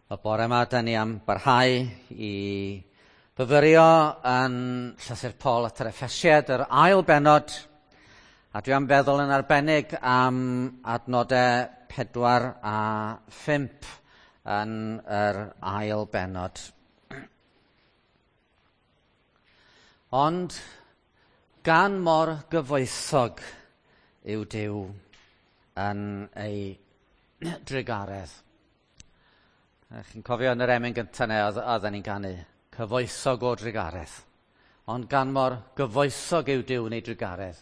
Y bore yma, da ni am barhau i fyfyrio yn llythyr Paul at yr Effesiad, yr ail benod, a dwi am feddwl yn arbennig am adnodau 4 a 5 yn yr ail benod. Ond gan mor gyfoethog yw Duw yn ei drugaredd. Chi'n cofio yn yr emyn gyntaf neu oedden ni'n canu, cyfoethog o drugaredd. Ond gan mor gyfoethog yw Duw yn ei drugaredd,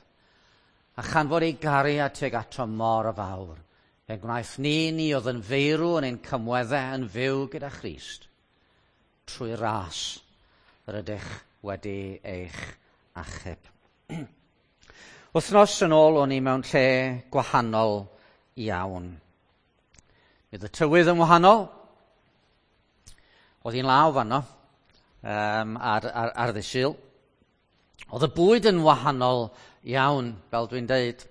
a chan fod ei gariad tuag ato mor fawr, fe gwnaeth ni, ni oedd yn feirw yn ein cymweddau yn fyw gyda Christ, trwy ras yr ydych wedi eich achub. Wythnos yn ôl o'n i mewn lle gwahanol iawn. Bydd y tywydd yn wahanol. Oedd hi'n law fanno ar, ar, ar ddydd Sul. Oedd y bwyd yn wahanol iawn, fel dwi'n deud.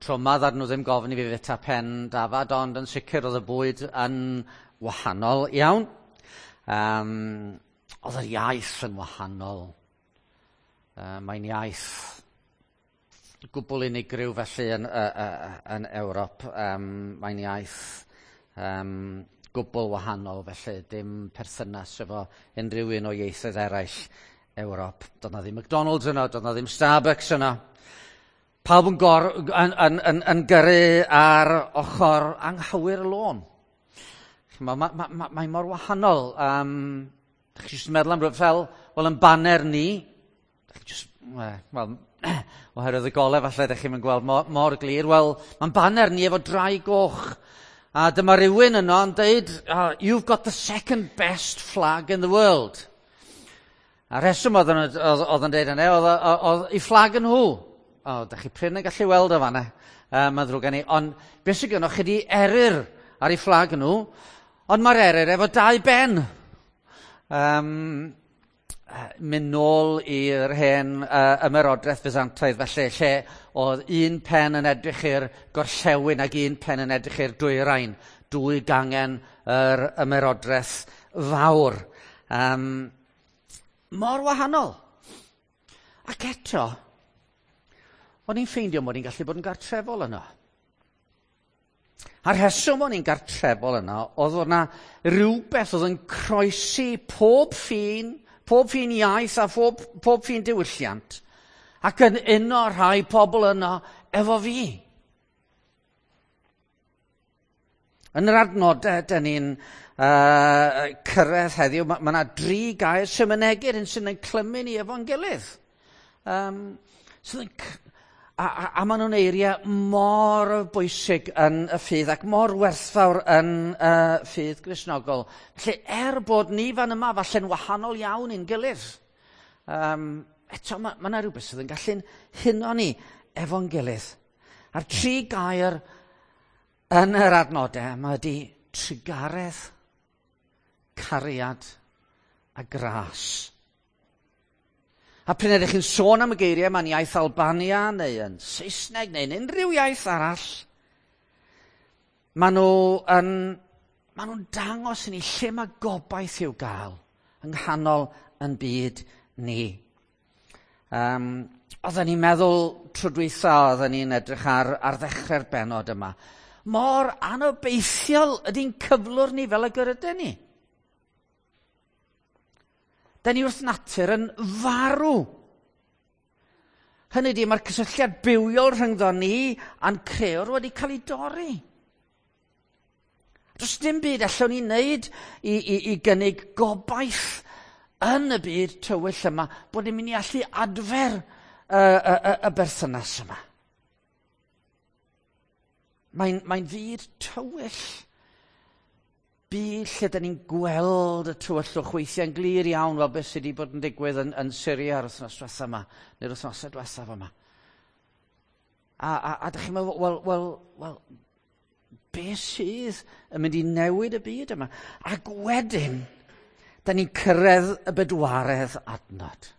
Tro yma ddar nhw ddim gofyn i fi fita pen dafad, ond yn sicr oedd y bwyd yn wahanol iawn. Oedd yr iaith yn wahanol. Mae'n iaith gwbl unigryw felly yn, yn Ewrop. Mae'n iaith gwbl wahanol, felly dim perthynas efo unrhyw un o ieithoedd eraill Ewrop. Doedd na ddim McDonald's yno, doedd na ddim Starbucks yno. Pawb yn, gor, yn, yn, yn, yn gyrru ar ochr anghywir y lôn. Mae ma, ma, ma, mae mor wahanol. Chi jyst yn meddwl am rhywbeth fel, wel, yn baner ni, just, wel, oherwydd y golau falle ydych chi'n gweld mor, mor glir, wel, mae'n baner ni efo drai goch. A dyma rhywun yno yn deud, "You've got the second best flag in the world." A rheswm oedd yn, oedd, oedd yn deud yna, oedd, oedd, oedd i fflag yn nhw. O, da chi prin yn gallu weld o fanna, mae'n ddrwg gen i. Ond beth sydd gennych chi di eryr ar ei fflag nhw, ond mae'r eryr efo dau ben. Mynd nôl i'r hen ymerodraeth Byzantaidd felly, lle oedd un pen yn edrych i'r gorllewin ac un pen yn edrych i'r dwyrain, dwy gangen yr ymerodraeth fawr. Mor wahanol. Ac eto, o'n i'n ffeindio mod i'n gallu bod yn gartrefol yno. A'r rheswm o'n i'n gartrefol yno oedd o'na rhywbeth oedd yn croesi pob ffin, pob ffin iaith a phob, pob ffin diwylliant, ac yn uno rhai pobl yno efo fi. Yn yr adnodau, dyn ni'n cyrraedd heddiw, mae yna ma dri gair sy'n mynegu'r hyn sy'n ein clymu ni efo'n gilydd. Sydd yn, a, a, a maen nhw'n eiriau mor bwysig yn y ffydd ac mor werthfawr yn ffydd Gristnogol. Felly, er bod ni fan yma falle'n wahanol iawn i'n gilydd, eto mae yna rhywbeth sydd yn gallu'n huno ni efo'n gilydd. A'r tri gair yn yr adnodau yma ydy trugaredd, cariad a gras. A pryd ydych chi'n sôn am y geiriau yma'n iaith Albania neu yn Saesneg neu'n unrhyw iaith arall, maen nhw yn, maen nhw'n dangos i ni lle mae gobaith i'w gael yng nghanol yn byd ni. Oedden ni'n meddwl tro dwytha, oedden ni'n edrych ar, ar ddechrau'r benod yma. Mor anobeithiol ydy'n cyflwr ni fel y gyrydyn ni. Da ni wrth natur yn farw. Hynny ydy, mae'r cysylltiad bywiol rhyngddo ni a'n crëwr wedi cael ei dorri. Does dim byd allwn ni wneud i, i, i gynnig gobaith yn y byd tywyll yma bod ni'n mynd i allu adfer y, y, y, y berthynas yma. Mae'n mae fyd tywyll. Byd lle da ni'n gweld y tywyllwch weithiau'n glir iawn fel beth sydd wedi bod yn digwydd yn, yn Syria yr wythnos diwethaf yma, neu'r wythnosau diwethaf yma. A, a, a da chi'n meddwl, wel, wel, wel, beth sydd yn mynd i newid y byd yma? Ac wedyn, da ni'n cyrraedd y bedwaredd adnod.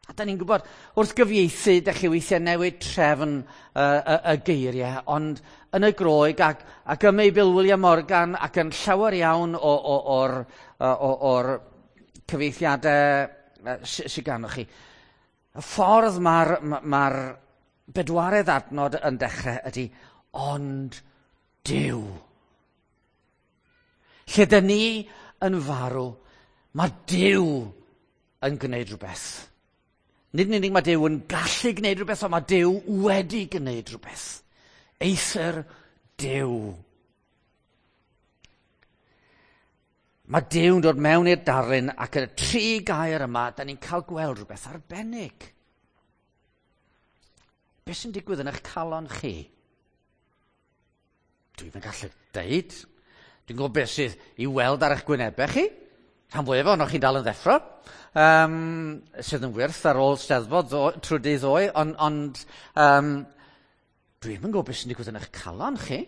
A da ni'n gwybod, wrth gyfieithu, da chi weithiau newid trefn y geiriau, ond yn y Groeg ac ym Meibl William Morgan ac yn llawer iawn o'r cyfieithiadau sydd ganddo chi, y ffordd mae'r bedwaredd adnod yn dechrau ydy, ond Duw. Lle dyn ni yn farw, mae Duw yn gwneud rhywbeth. Nid yn unig mae Duw yn gallu gwneud rhywbeth, ond mae Duw wedi gwneud rhywbeth. Eithr Duw. Mae Duw'n dod mewn i'r darlun ac yn y tri gair yma, da ni'n cael gweld rhywbeth arbennig. Beth sy'n digwydd yn eich calon chi? Dwi'm yn gallu deud. Dwi'n gwybod beth sydd i weld ar eich gwynebau chi. Rhan fwyaf ohonoch chi'n dal yn ddeffro, sydd yn wyrth ar ôl Steddfod trwy dydd ddoe, ond dwi'm yn gwybod beth sy'n digwydd yn eich calon chi.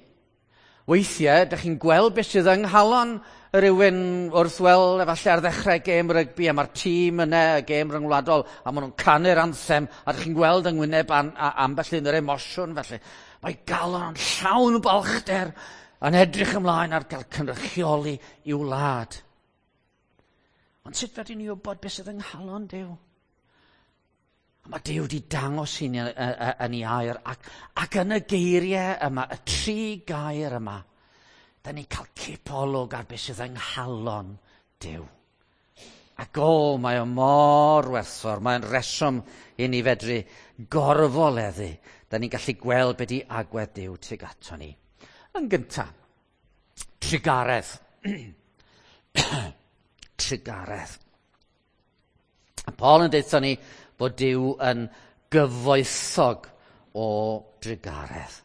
Weithiau, dych chi'n gweld beth sydd yng nghalon rhywun wrth weld efallai ar ddechrau gêm rygbi, a mae'r tîm yna, y gêm ryngwladol, a maen nhw'n canu'r anthem, a dych chi'n gweld yng ngwyneb ambell un yr emosiwn felly. Mae galon yn llawn balchder yn edrych ymlaen ar gael cynrychioli i'w wlad. Ond sut fedrwn ni wybod beth sydd yng nghalon Duw? A mae Duw wedi dangos i ni yn ei air ac yn y geiriau yma, y tri gair yma, da ni'n cael cipolwg ar beth sydd yng nghalon Duw. Ac o, mae o mor werthfawr, mae'n reswm i ni fedru gorfoleddu. Da ni'n gallu gweld beth di agwedd Duw tuag ato ni. Yn gyntaf, trugaredd. Trugaredd. A Paul yn deutha ni bod Duw yn gyfoethog o drugaredd.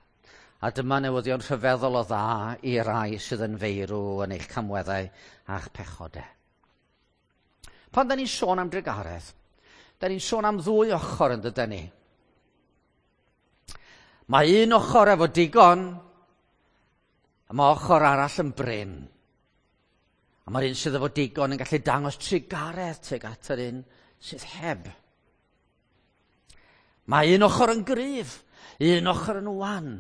A dyma newyddion rhyfeddol o dda i rai sydd yn feirw yn eich camweddau a'ch pechodau. Pan da ni'n sôn am drugaredd, da ni'n sôn am ddwy ochr yn dydyn ni. Mae un ochr efo digon, a mae ochr arall yn brin. A mae'r un sydd efo digon yn gallu dangos trugaredd tuag at yr un sydd heb. Mae un ochr yn gryf, un ochr yn wan.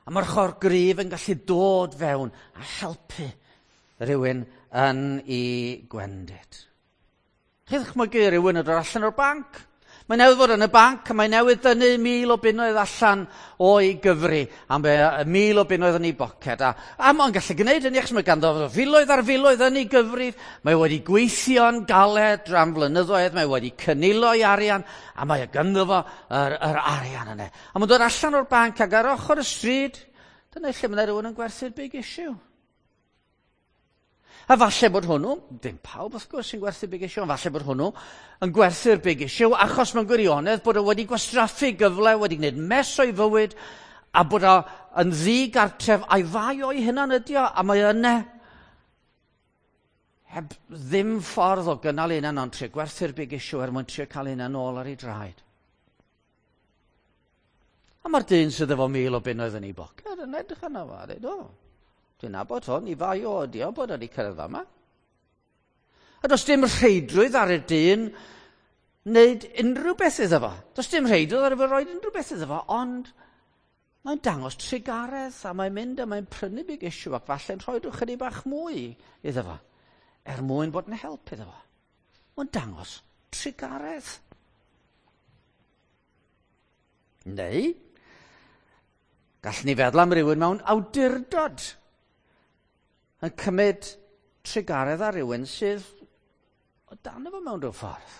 A mae'r ochr gryf yn gallu dod fewn a helpu rhywun yn ei gwendid. Chi ddychmygu rhywun yn dod allan o'r banc? Mae newydd fod yn y banc a mae newydd dynnu 1,000 o bunnoedd allan o'i gyfri a mae 1,000 o bunnoedd yn ei boced. A mae'n gallu gwneud hynny achos mae ganddo filoedd ar filoedd yn ei gyfrif. Mae wedi gweithio'n galed am flynyddoedd, mae wedi cynilo ei arian a mae ganddo fo yr arian yna. A mae'n dod allan o'r banc ac ar ochr y stryd, dyna lle mae rhywun yn gwerthu'r big issue. A falle bod hwnnw, ddim pawb wrth gwrs sy'n gwerthu big issue, ond falle bod hwnnw yn gwerthu'r big issue achos mewn gwirionedd bod o wedi gwastraffu gyfle, wedi gwneud mess o'i fywyd, a bod o yn ddigartref a'i fai o'i hunan ydi o, a mae yna heb ddim ffordd o gynnal ei hunan ond trio gwerthu'r big issue er mwyn trio cael ei hunan nôl ar ei draed. A mae'r dyn sydd efo 1,000 o bunnoedd yn ei boced yn edrych arno fo a dweud, o, dwi'n nabod hwn, i fai o ydi o bod wedi cyrraedd fama. A does dim rheidrwydd ar y dyn wneud unrhyw beth iddo fo. Does dim rheidrwydd ar y fo roed unrhyw beth iddo fo, ond mae'n dangos trugaredd a mae'n mynd a mae'n prynu big issue ac falle'n rhoi rhyw chydig bach mwy iddo fo, er mwyn bod yn help iddo fo. Mae'n dangos trugaredd. Neu, gallwn ni feddwl am rywun mewn awdurdod yn cymryd trugaredd ar rywun sydd o dan efo mewn rhyw ffordd.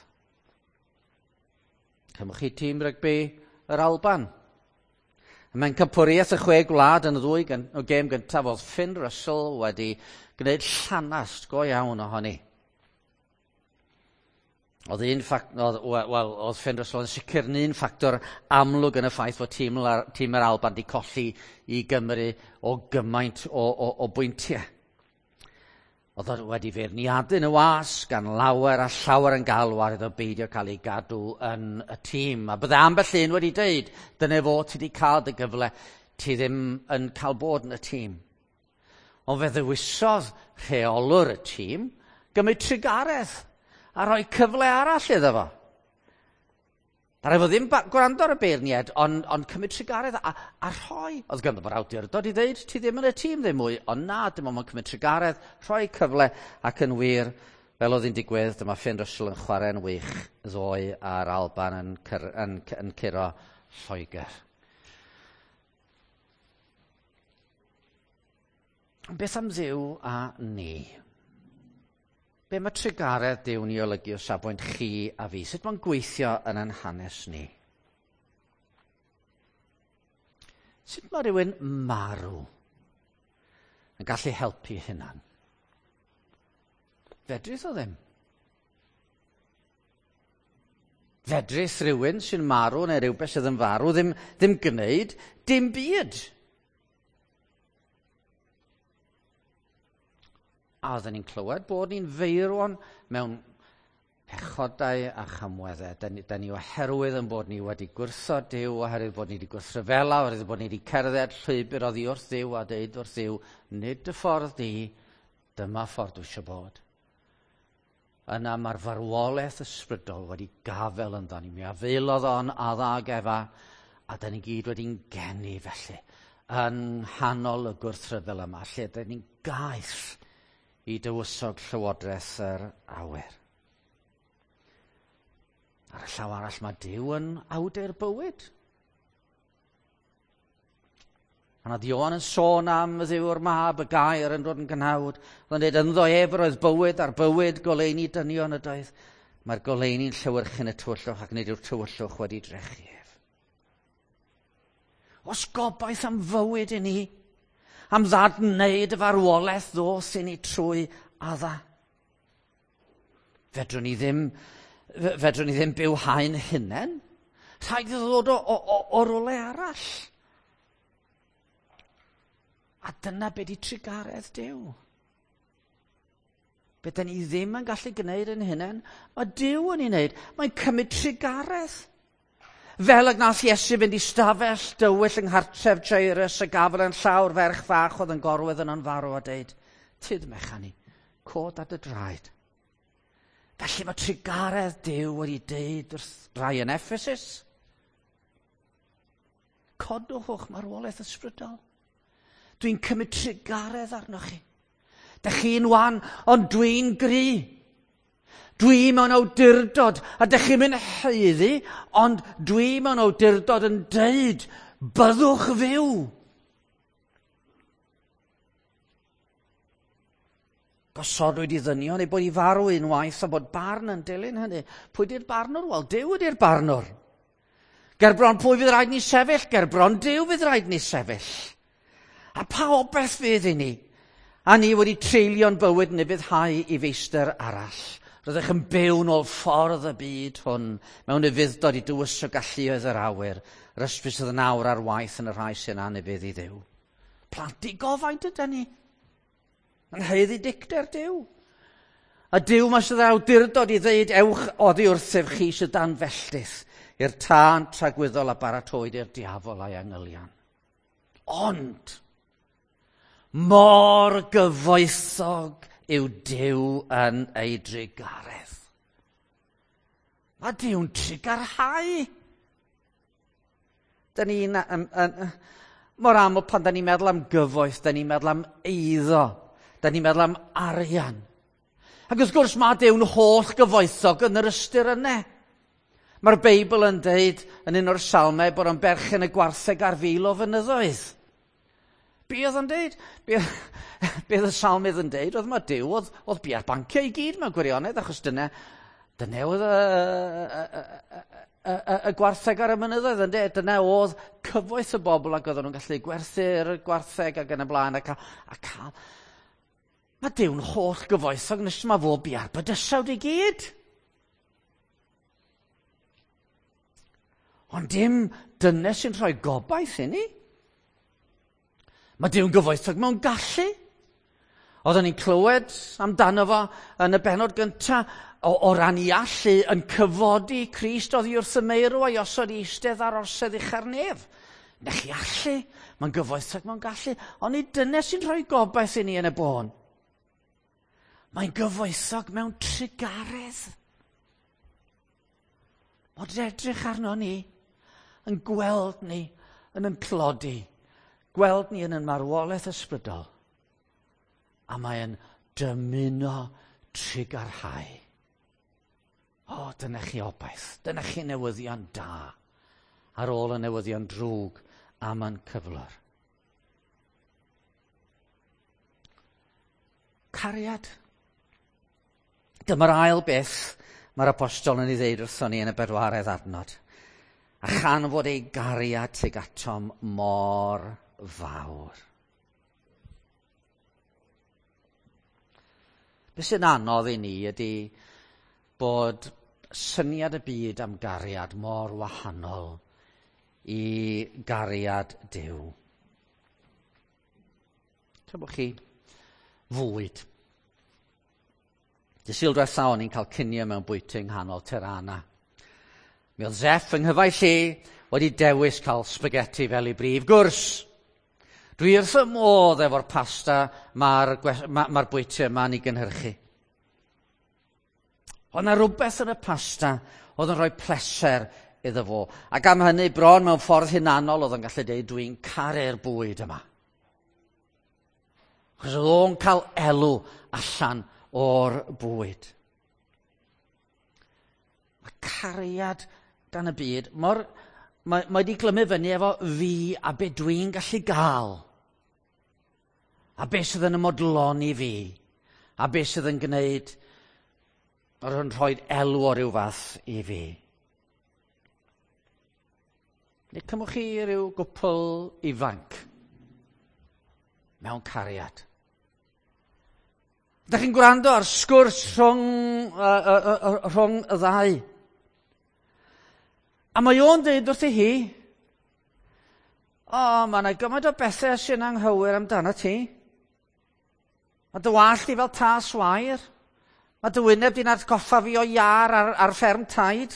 Cymwch chi tîm rygbi yr Alban. Mae'n campwriaeth y 6 gwlad yn y ddwy o gêm gyntaf oedd Finn Russell wedi gwneud llanast go iawn ohoni. Oedd un oedd Finn Russell yn sicr yn un ffactor amlwg yn y ffaith fod tîm yr Alban wedi colli i Gymru o gymaint o bwyntiau. Oedd o wedi feirniadu yn y wasg gan lawer a llawer yn galw ar iddo beidio cael ei gadw yn y tîm. A bydde ambell un wedi deud, dyna fo, ti wedi cael dy gyfle, ti ddim yn cael bod yn y tîm. Ond fe ddewisodd rheolwr y tîm gymryd trugaredd a rhoi cyfle arall iddo fo. Ddaru fo ddim gwrando ar y beirniad, ond, ond cymryd trugaredd a, a rhoi. Oedd ganddo fo'r awdurdod i ddeud, ti ddim yn y tîm ddim mwy, ond na, dim ond mae'n cymryd trugaredd, rhoi cyfle, ac yn wir, fel oedd hi'n digwydd, dyma Finn Russell yn chwarae'n wych ddoe a'r Alban yn, cyr, yn, yn, yn curo Lloegr. Beth am Dduw a ni? Be mae trugaredd Duw'n ei olygu o safbwynt chi a fi? Sut mae'n gweithio yn ein hanes ni? Sut mae rhywun marw yn gallu helpu hunan? Fedrith o ddim. Fedrith rhywun sy'n marw neu rhywbeth sydd yn farw ddim, ddim gwneud dim byd. A oedden ni'n clywed bod ni'n feirwon mewn pechodau a chamweddau. Da ni, da ni oherwydd yn bod ni wedi gwrthod Duw, oherwydd bod ni wedi gwrthryfela, oherwydd bod ni wedi cerdded llwybr oddi wrth Dduw a deud wrth Dduw, nid dy ffordd di, dyma ffordd dwi eisiau bod. Yna mae'r farwolaeth ysbrydol wedi gafel ynddo ni. Mi afeilodd o'n Adda ag Efa, a da ni gyd wedi'n geni felly yn nghanol y gwrthryfel yma, lle da ni'n gaeth i dywysog llywodraeth yr awyr. Ar y llaw arall mae Duw yn awdur bywyd. Pan oedd Ioan yn sôn am y Dduw'r mab, y gair yn dod yn gnawd, oedd yn dweud ynddo ef yr oedd bywyd a'r bywyd goleuni dynion ydoedd. Mae'r goleuni'n llewyrchu yn y tywyllwch ac nid yw'r tywyllwch wedi drechu ef. Os gobaith am fywyd i ni, am ddadwneud y farwolaeth ddos i ni trwy adda. Fedrwn ni ddim, fedrwn ni ddim byw haen hunain. Rhaid iddo ddod o, o, o, o rwle arall. A dyna be di trugaredd Duw. Be da ni ddim yn gallu gwneud yn hunain, mae Duw yn ei wneud. Mae'n cymryd trugaredd. Fel y gwnaeth Iesu fynd i stafell dywyll yng nghartref Jairus a gafel yn llawr ferch fach oedd yn gorwedd yno'n farw a deud, Tyd mechan i, cod ar dy draed. Felly mae trugaredd Duw wedi deud wrth rai yn Ephesus, codwch o'ch marwolaeth ysbrydol. Dwi'n cymryd trugaredd arnoch chi. Dych chi'n wan, ond dwi'n gry. Dwi mewn awdurdod, a dych chi'n mynd haeddu, ond dwi mewn awdurdod yn deud, byddwch fyw. Gosodwyd i ddynion ei bod i farw unwaith a bod barn yn dilyn hynny. Pwy di'r barnwr? Wel, Duw ydi'r barnwr. Gerbron pwy fydd rhaid ni sefyll? Gerbron Duw fydd rhaid ni sefyll. A pa obaith fydd i ni? A ni wedi treulio'n bywyd yn ufuddhau i feistr arall. Rydych yn byw nôl ffordd y byd hwn mewn ufudd-dod i dywysog galluoedd yr awyr. Yr ysbryd sydd yn awr ar waith yn y rhai sy'n anufudd i Dduw. Plant digofaint ydyn ni. Yn haeddu dicter Duw. A Duw mae sydd awdurdod i ddeud ewch oddi wrthyf chi sydd dan felltith i'r tân tragwyddol a baratoed i'r diafol a'i angylion. Ond, mor gyfoethog yw Duw yn ei drugaredd. Mae Duw'n trugarhau. Da ni'n, um, um, mor aml pan da ni'n meddwl am gyfoeth, da ni'n meddwl am eiddo, da ni'n meddwl am arian. Ac wrth gwrs mae Duw'n holl gyfoethog yn yr ystyr yna. Mae'r Beibl yn deud yn un o'r salmau bod o'n berchen y gwartheg ar fil o fynyddoedd. Be oedd o'n deud? Be, be oedd y salmydd yn deud? Oedd mae Duw, oedd, oedd bia'r banciau i gyd mewn gwirionedd, achos dyna, dyna oedd y, y, y, y, y, y gwartheg ar y mynyddoedd, yn deud. Dyna oedd cyfoeth y bobl ac oedden nhw'n gallu gwerthu'r gwartheg ac yn y blaen ac, a cael. Mae Duw'n holl gyfoethog nes mae fo bia'r bydysawd i gyd. Ond dim dyna sy'n rhoi gobaith i ni. Mae Duw'n gyfoethog mewn gallu. Oedden ni'n clywed amdano fo yn y benod gyntaf o, o ran i allu yn cyfodi Crist oddi wrth y meirw a'i osod i eistedd ar orsedd ucha'r nef. Na chi allu, mae'n gyfoethog mewn gallu, ond nid dyna sy'n rhoi gobaith i ni yn y bôn. Mae'n gyfoethog mewn trugaredd. Mod edrych arno ni, yn gweld ni yn yn tlodi, gweld ni yn yn marwolaeth ysbrydol, a mae'n dymuno trugarhau. O, dyna chi obaith, dyna chi newyddion da ar ôl y newyddion drwg am yn cyflwr. Cariad. Dyma'r ail beth mae'r apostol yn ei ddeud wrthon ni yn y bedwaredd adnod. A chan fod ei gariad tuag atom mor fawr. Be sy'n anodd i ni ydy bod syniad y byd am gariad mor wahanol i gariad Duw. Tybwch chi, fwyd. Dy Sul diwetha o'n i'n cael cinio mewn bwyty yng nghanol Tirana. Mi oedd Zeff yng nghyfaill i wedi dewis cael spaghetti fel ei brif gwrs. Dwi wrth y modd efo'r pasta mae'r ma, ma bwyty yma'n ei gynhyrchu. Oedd yna rhywbeth yn y pasta oedd yn rhoi pleser iddo fo. Ac am hynny, bron mewn ffordd hunanol oedd yn gallu dweud, dwi'n caru'r bwyd yma. Achos oedd o'n cael elw allan o'r bwyd. Mae cariad gan y byd mor... Mae, mae wedi glymu fyny efo fi a be dwi'n gallu gael. A be sydd yn ymodloni fi. A be sydd yn gwneud yr yn rhoi elw o ryw fath i fi. Neu cymwch chi ryw gwpl ifanc mewn cariad. Ydych chi'n gwrando ar sgwrs rhwng, rhwng y ddau. A mae o'n dweud wrthi hi, o, mae yna gymaint o bethau sy'n anghywir amdano ti. Mae dy wallt i fel tas wair. Mae dy wyneb di'n atgoffa fi o iar ar, ar fferm taid.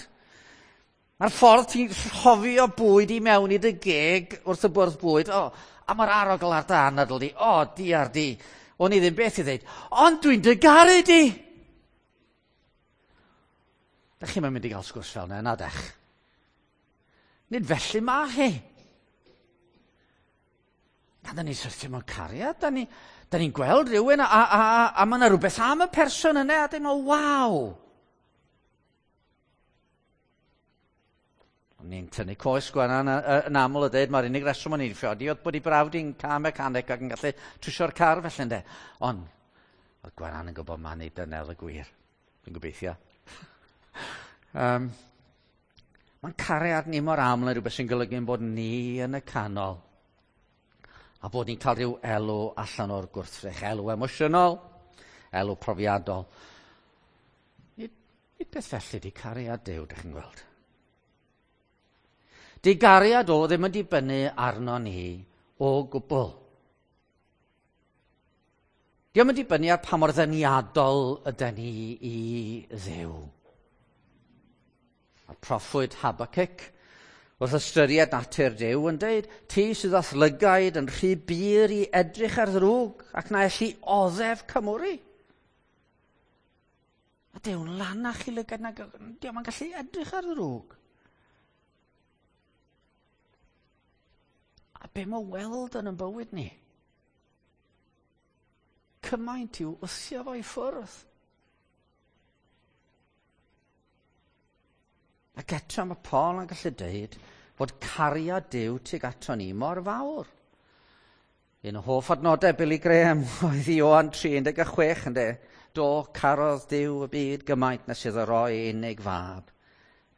Mae'r ffordd ti'n rhofio bwyd i mewn i dy geg wrth y bwrdd bwyd. O, a mae'r arogl ar dy anadl di. O, diar di. O'n i ddim beth i ddeud. Ond dwi'n dy garu di! Dach chi'm yn mynd i gael sgwrs fel yna, na dech? Nid felly mae hi. Na, da ni'n syrthio mewn cariad, da ni'n ni gweld rhywun a, a, a, a mae yna rhywbeth am y person yna a dyn nhw, waw! O'n i'n tynnu coes Gwenan yn aml a dweud mae'r unig reswm o'n i'n ffiodi oedd bod i brawd i'n car mechanic ac yn gallu trwsio'r car felly ynde. Ond, oedd Gwenan yn gwybod ma'n ei dynel y gwir. Dwi'n gobeithio. Mae'n cariad ni mor aml yn rhywbeth sy'n golygu bod ni yn y canol. A bod ni'n cael rhyw elw allan o'r gwrthrych. Elw emosiynol, elw profiadol. Nid, nid beth felly di cariad Duw, dych chi'n gweld. Di gariad o ddim yn dibynnu arno ni o gwbl. Dio'm yn dibynnu ar pa mor ddeniadol ydy ni i Dduw. Mae'r proffwyd Habakkuk wrth ystyried natur Duw yn dweud, ti sydd â'th lygaid yn rhy bur i edrych ar ddrwg ac na elli oddef cymwri. A Duw'n lanach i lygaid na dio'm yn gallu edrych ar ddrwg. A be mae weld yn yn bywyd ni? Cymaint i'w wthio fo i ffwrdd. Ac eto mae Paul yn gallu dweud fod cariad Duw tuag ato ni mor fawr. Un o hoff adnodau Billy Graham oedd Ioan 3:16 ynde. Do, carodd Duw y byd gymaint nes iddo roi unig fab,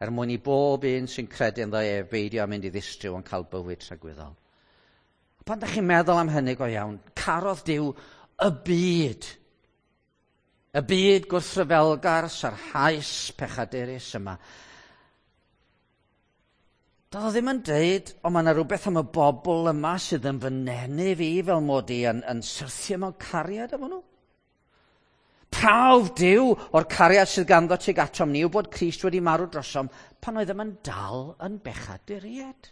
er mwyn i bob un sy'n credu ynddo ef beidio â mynd i ddistryw ond cael bywyd tragwyddol. A pan ydych chi'n meddwl am hynny go iawn, carodd Duw y byd. Y byd gwrthryfelgar, sarhaus, pechadurus yma. Doedd o ddim yn deud, o mae yna rhywbeth am y bobl yma sydd yn fy nenu fi fel mod i yn, yn syrthio mewn cariad efo nhw. Prawf Duw o'r cariad sydd ganddo tuag atom ni yw bod Crist wedi marw drosom pan oeddem yn dal yn bechaduriaid.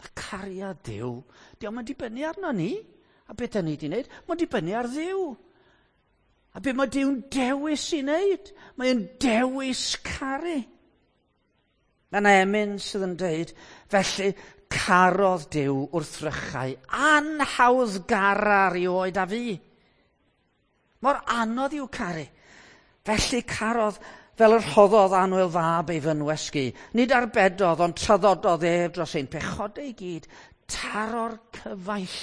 Mae cariad Duw, dio'm yn dibynnu arno ni, a beth da ni wedi wneud, mae'n dibynnu ar Dduw. A be mae Duw'n dewis i wneud? Mae'n dewis caru. Mae yna emyn sydd yn dweud, felly carodd Duw wrthrychau anhawddgara rioed a fi. Mor anodd i'w caru. Felly carodd fel yr rhoddodd annwyl fab ei fynwes gu. Nid arbedodd, ond traddododd ef dros ein pechodau i gyd. Taro'r cyfaill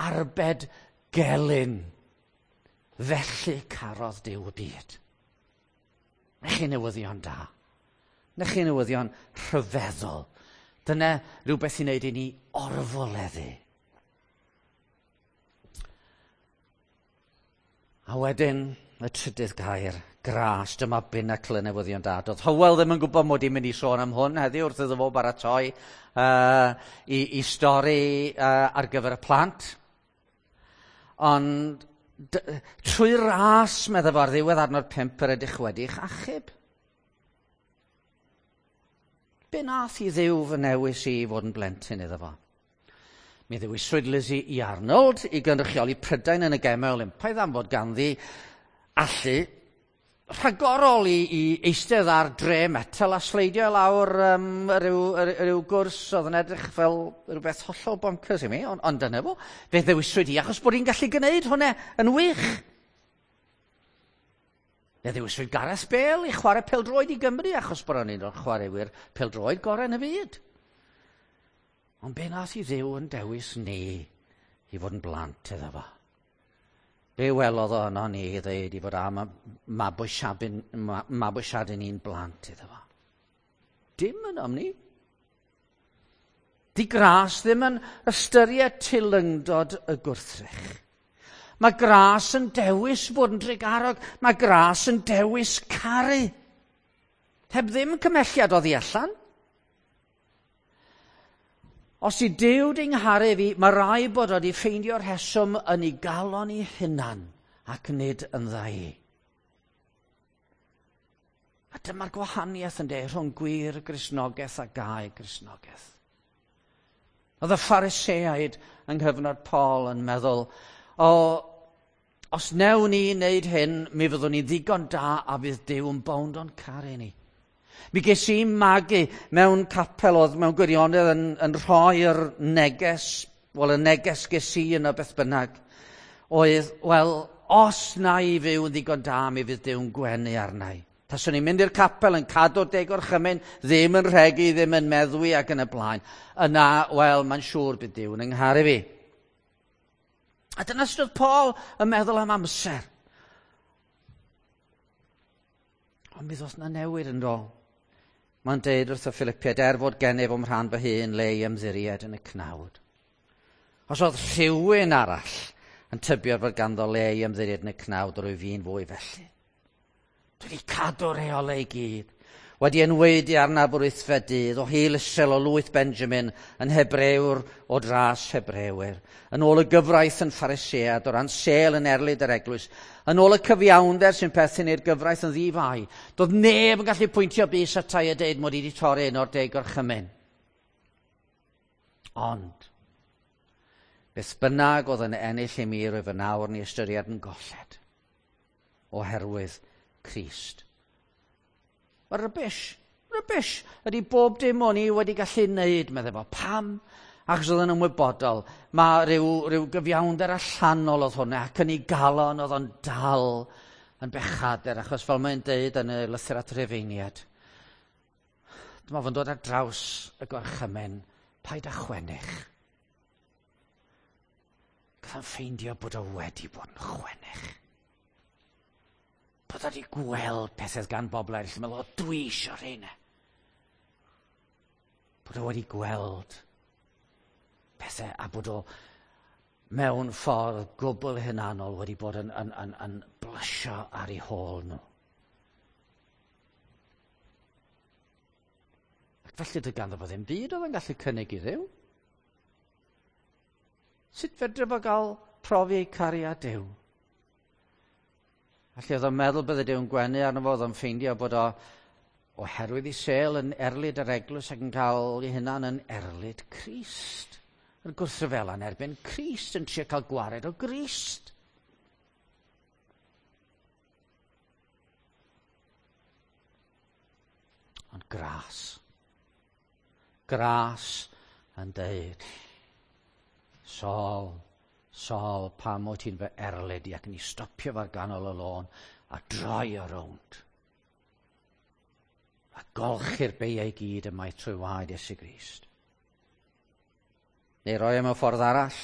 arbed gelyn. Felly carodd Duw y byd. Na chi newyddion da. Na chi newyddion rhyfeddol. Dyna rhywbeth i wneud i ni orfoleddu. A wedyn, y trydydd gair, gras, dyma binacl y newyddion da. Doedd Hywel ddim yn gwybod mod i'n mynd i sôn am hwn heddiw wrth iddo fo baratoi i stori ar gyfer y plant. Ond trwy ras, meddai fo, ar ddiwedd adnod 5 yr ydych wedi'ch achub. Be nath i Dduw fy newis i fod yn blentyn iddo fo? Mi ddewiswyd Lizzie i Arnold i gynrychioli Prydain yn y Gemau Olympaidd am fod ganddi allu rhagorol i eistedd ar dre metel a sleidio lawr rhyw gwrs oedd yn edrych fel rhywbeth hollol bonkers i mi, ond dyna fo. Fe ddewiswyd hi achos bod hi'n gallu gwneud hwnna yn wych. Fe ddewiswyd Gareth Bale i chwarae pêl-droed i Gymru achos bod o'n un o'r chwaraewyr pêl-droed gorau yn y byd. Ond be nath i Dduw yn dewis ni i fod yn blant iddo fo? Be welodd o yno ni i ddeud i fod am mabwysiadu ni'n blant iddo fo? Dim yn am ni. Di gras ddim yn ystyried teilyngdod y gwrthrych. Mae gras yn dewis bod yn drugarog. Mae gras yn dewis caru. Heb ddim cymhelliad oddi allan. Os i Duw di ngharu fi, mae rai bod wedi ffeindio'r rheswm yn ei galon ei hunan ac nid yn dda i. A dyma'r gwahaniaeth yn de rhwng gwir Gristnogaeth a gau Gristnogaeth. Oedd y Phariseaid yng nghyfnod Paul yn meddwl, o, os newn ni wneud hyn, mi fyddwn ni ddigon da a fydd Duw yn bownd o'n caru ni. Mi ges i magu mewn capel oedd mewn gwirionedd yn rhoi'r neges, wel y neges ges i yno beth bynnag, oedd, wel, os na i fyw yn ddigon da, mi fydd Duw'n gwenu arna i. Taswn i'n mynd i'r capel yn cadw'r deg orchymyn, ddim yn rhegi, ddim yn meddwi ac yn y blaen. Yna, wel, mae'n siŵr bydd Duw'n yngharu fi. A dyna sut oedd Paul yn meddwl am amser. Ond mi ddoth na newid yn do. Mae'n deud wrth y Philippiaid, er fod gennyf o'm rhan fy hun le i ymddiried yn y cnawd. Os oedd rhywun arall yn tybio fod ganddo le i ymddiried yn y cnawd, rwy fi'n fwy felly. Dwi wedi cadw'r rheolau i gyd. Wedi enwaedu arnaf o'r wythfed dydd, o hil Israel o lwyth Benjamin, yn Hebrewr o dras Hebrewyr. Yn ôl y gyfraith yn Pharisead, o ran sêl yn erlid yr eglwys. Yn ôl y cyfiawnder sy'n perthyn i'r gyfraith yn ddifai. Doedd neb yn gallu pwyntio bys atai a deud mod i wedi torri un o'r deg orchymyn. Ond, beth bynnag oedd yn ennill i mi rwyf yn awr ni ystyried yn golled oherwydd Crist. Mae rubbish ydy bob dim o'n i wedi gallu wneud, meddai fo. Pam? Achos oedd yn ymwybodol. Mae rhyw gyfiawnder allanol oedd hwnna, ac yn ei galon oedd o'n dal yn bechadur, achos fel mae'n deud yn y lythyr at Rufeiniaid, dyma fo'n dod ar draws y gorchymyn, paid â chwennych. Gath o'n ffeindio bod o wedi bod yn chwennych. Bod o wedi gweld pethau gan bobl eraill yn meddwl, o, dwi isio rheina. Bod o wedi gweld pethau a bod o mewn ffordd gwbl hunanol wedi bod yn blysio ar ei hôl nhw. Ac felly doedd ganddo fo ddim byd oedd yn gallu cynnig i Dduw. Sut fedre fo gael profi cariad Duw? Felly oedd o'n meddwl bydde Duw'n gwenu arno fo, oedd o'n ffeindio bod o oherwydd ei sêl yn erlid yr eglwys ac yn cael ei hunan yn erlid Crist. Yn gwrthryfela yn erbyn Crist, yn trio cael gwared o Grist. Ond gras. Gras yn deud, Saul, Saul, pam wyt ti'n fy erlid i? Ac yn ei stopio fo'r ganol y lôn a droi o rownd. A golchi'r beiau i gyd ymaith trwy waed Iesu Grist. Neu roi e mewn ffordd arall.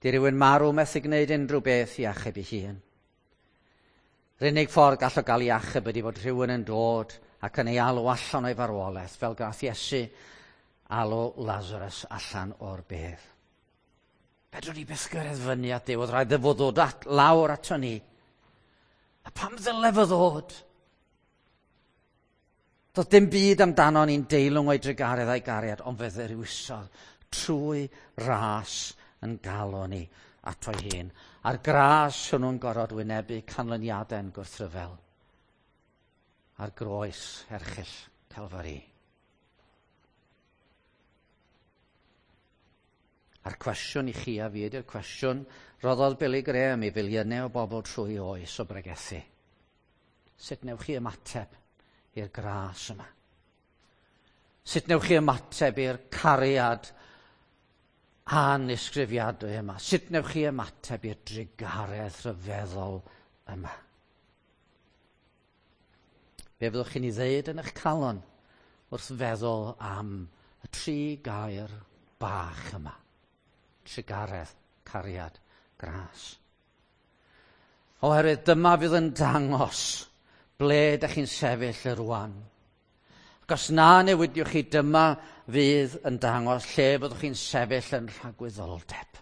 Di rhywun marw methu gwneud unrhyw beth i achub ei hun. Yr unig ffordd gall o gael ei achub ydy fod rhywun yn dod ac yn ei alw allan o'i farwolaeth, fel gath Iesu alw Lazarus allan o'r bedd. Fedrwn ni byth gyrraedd fyny at Dduw, oedd rhaid iddo fo ddod at, lawr ato ni. A pam ddyle fo ddod? Doedd dim byd amdano ni'n deilwng o'i drugaredd a'i gariad, ond fe ddewisodd trwy ras yn galw ni ato'i hun. A'r gras hwnnw'n gorfod wynebu canlyniadau'n gwrthryfel. A'r groes erchyll Calfari. A'r cwestiwn i chi a fi ydy'r cwestiwn roddodd Billy Graham i filiynau o bobl trwy oes o bregethu. Sut newch chi ymateb i'r gras yma? Sut newch chi ymateb i'r cariad anisgrifiadwy yma? Sut newch chi ymateb i'r drugaredd rhyfeddol yma? Be fyddwch chi'n ei ddeud yn eich calon wrth feddwl am y tri gair bach yma? Trugaredd, cariad, gras. Oherwydd dyma fydd yn dangos ble ydych chi'n sefyll y rwan. Ac os na newidiwch chi, dyma fydd yn dangos lle fyddwch chi'n sefyll yn rhagwyddoldeb.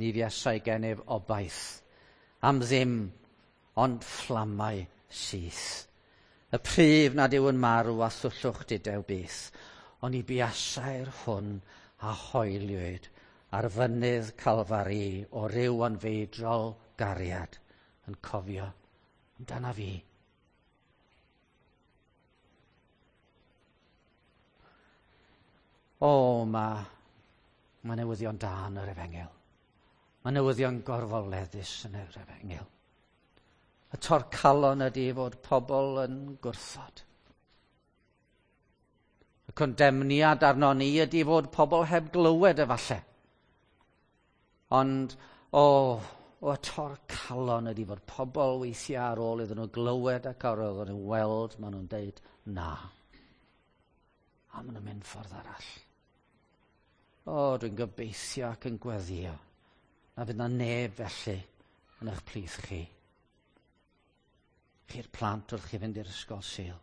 Ni fuasai gennyf obaith am ddim ond fflamau syth. Y pryf nad yw yn marw a thwllwch dudew byth, ond i buasai'r hwn a hoeliwyd ar fynydd Calfari o ryw anfeidrol gariad yn cofio amdana fi. O, mae, mae newyddion da yn yr efengyl. Mae newyddion gorfoleddus yn yr efengyl. Y torcalon ydy fod pobl yn gwrthod. Y condemniad arno ni ydy fod pobl heb glywed efallai. Ond, o, o y torcalon ydy fod pobl weithiau ar ôl iddyn nhw glywed ac ar ôl iddyn nhw weld, maen nhw'n deud na. A maen nhw'n mynd ffordd arall. O, dwi'n gobeithio ac yn gweddio na fydd na neb felly yn eich plith chi. Chi'r plant wrth chi fynd i'r ysgol Sul.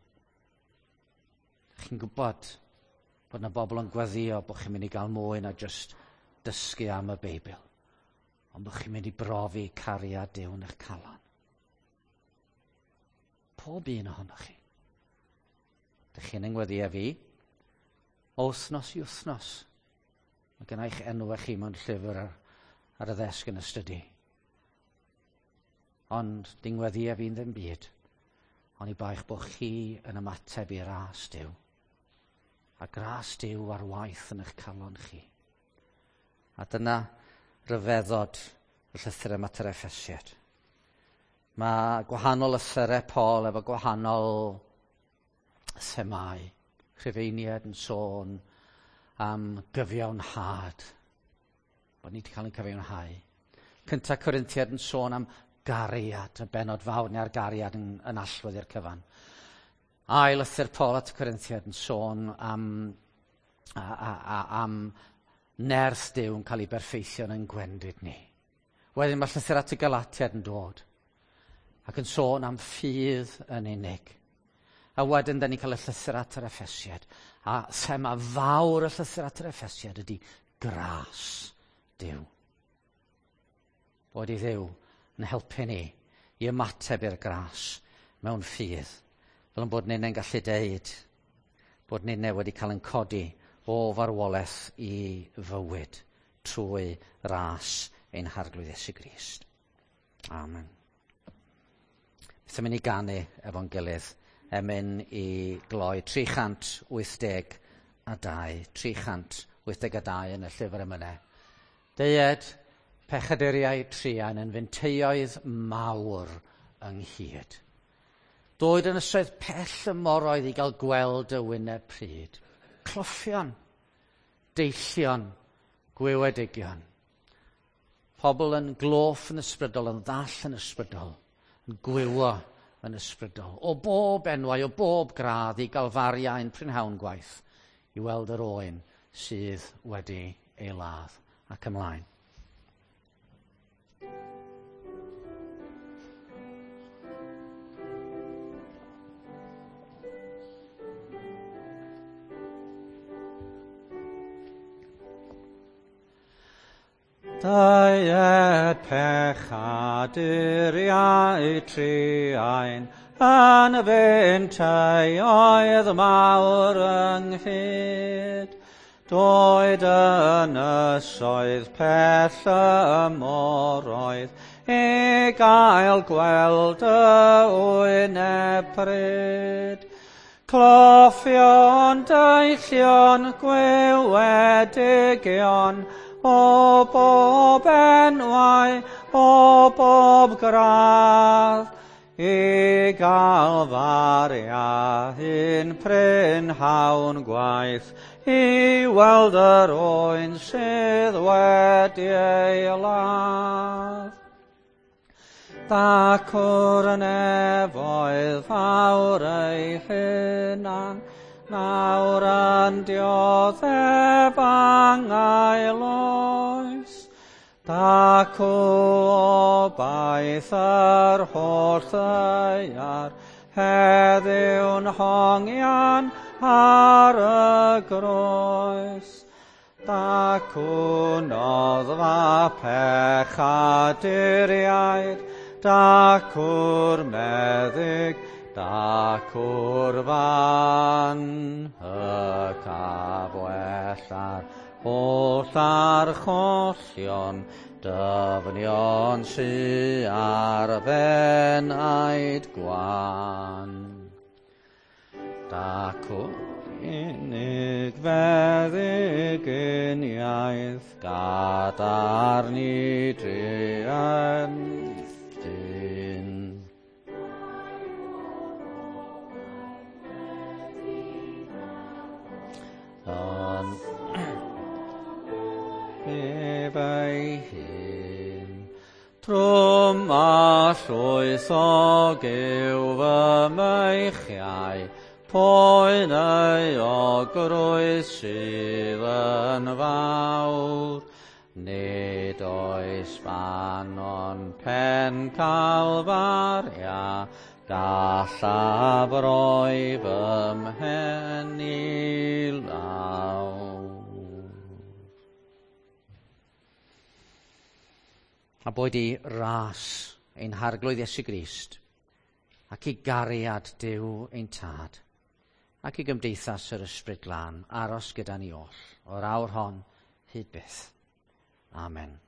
Chi'n gwybod bod na bobl yn gweddio bod chi'n mynd i gael mwy na just dysgu am y Beibl. Ond bod chi'n mynd i brofi cariad Duw yn eich calon. Pob un ohonoch chi. Dych chi'n yngweddio fi o wythnos i wythnos. Mae gen i'ch enw chi mewn llyfr ar, ar y ddesg yn y stydi. Ond dingweddia fi'n ddim byd. Ond i baich bod chi yn ymateb i ras Duw. A gras Duw ar waith yn eich calon chi. A dyna ryfeddod y llythyr yma at yr Effesiad. Mae gwahanol lythyrau Paul efo gwahanol themau. Rhufeiniad yn sôn am gyfiawnhad. Bod ni wedi cael ein cyfiawnhau. Cynta Corinthiad yn sôn am gariad, y benod fawr neu ar gariad yn, yn allwedd i'r cyfan. Ail lythyr Paul at y Corinthiad yn sôn am, a, a, a, am nerth Duw yn cael ei berffeithio yn gwendid ni. Wedyn mae llythyr at y Galatiad yn dod ac yn sôn am ffydd yn unig. A wedyn, da ni'n cael y llythyr at yr Effesiad. A thema fawr y llythyr at yr Effesiad ydy gras Duw. Bod i Dduw yn helpu ni i ymateb i'r gras mewn ffydd. Fel yn bod ni'n gallu deud bod ni'n wedi cael yn codi o farwolaeth i fywyd trwy ras ein Harglwydd Iesu Grist. Amen. Beth am i ni ganu efo'n gilydd? Emyn i gloi 382, 382 yn y llyfr emynau. Deued pechaduriau truan yn finteioedd mawr ynghyd. Doed ynysoedd pell y moroedd i gael gweld y wyneb pryd. Cloffion, deillion, gwywedigion. Pobl yn gloff yn ysbrydol, yn ddall yn ysbrydol, yn gwywo yn ysbrydol. O bob enwau, o bob gradd i Galfaria ein prynhawn gwaith i weld yr oen sydd wedi ei ladd ac ymlaen. Deued pechaduriau truain, yn fynteioedd mawr ynghyd. Doed ynysoedd pell y moroedd, i gael gweld y wyneb pryd. Cloffion, deillion, gwywedigion, o bob enwau, o bob gradd, i Galfaria un prynhawn gwaith, i weld yr oen sydd wedi ei ladd. Dacw'r nefoedd fawr ei hunan, nawr yn dioddef angau oes. Dacw obaith yr holl ddaear, heddiw'n hongian ar y groes. Dacw noddfa pechaduriaid, dacw'r meddyg, dacw'r fan, y cafwella'r holl archollion, dyfnion sy ar fenaid gwan. Dacw'r unig feddyginiaeth, gadarn i druan dyn. Yn ef ei hun, trwm a llwythog yw fy meichiau, poen euogrwydd sydd yn fawr. Nid oes fan ond pen Calfaria, gallaf roi fy mhen i lawr. A boed i ras ein Harglwydd Iesu Grist, ac i gariad Duw ein Tad, ac i gymdeithas yr Ysbryd Glân aros gyda ni oll, o'r awr hon hyd byth. Amen.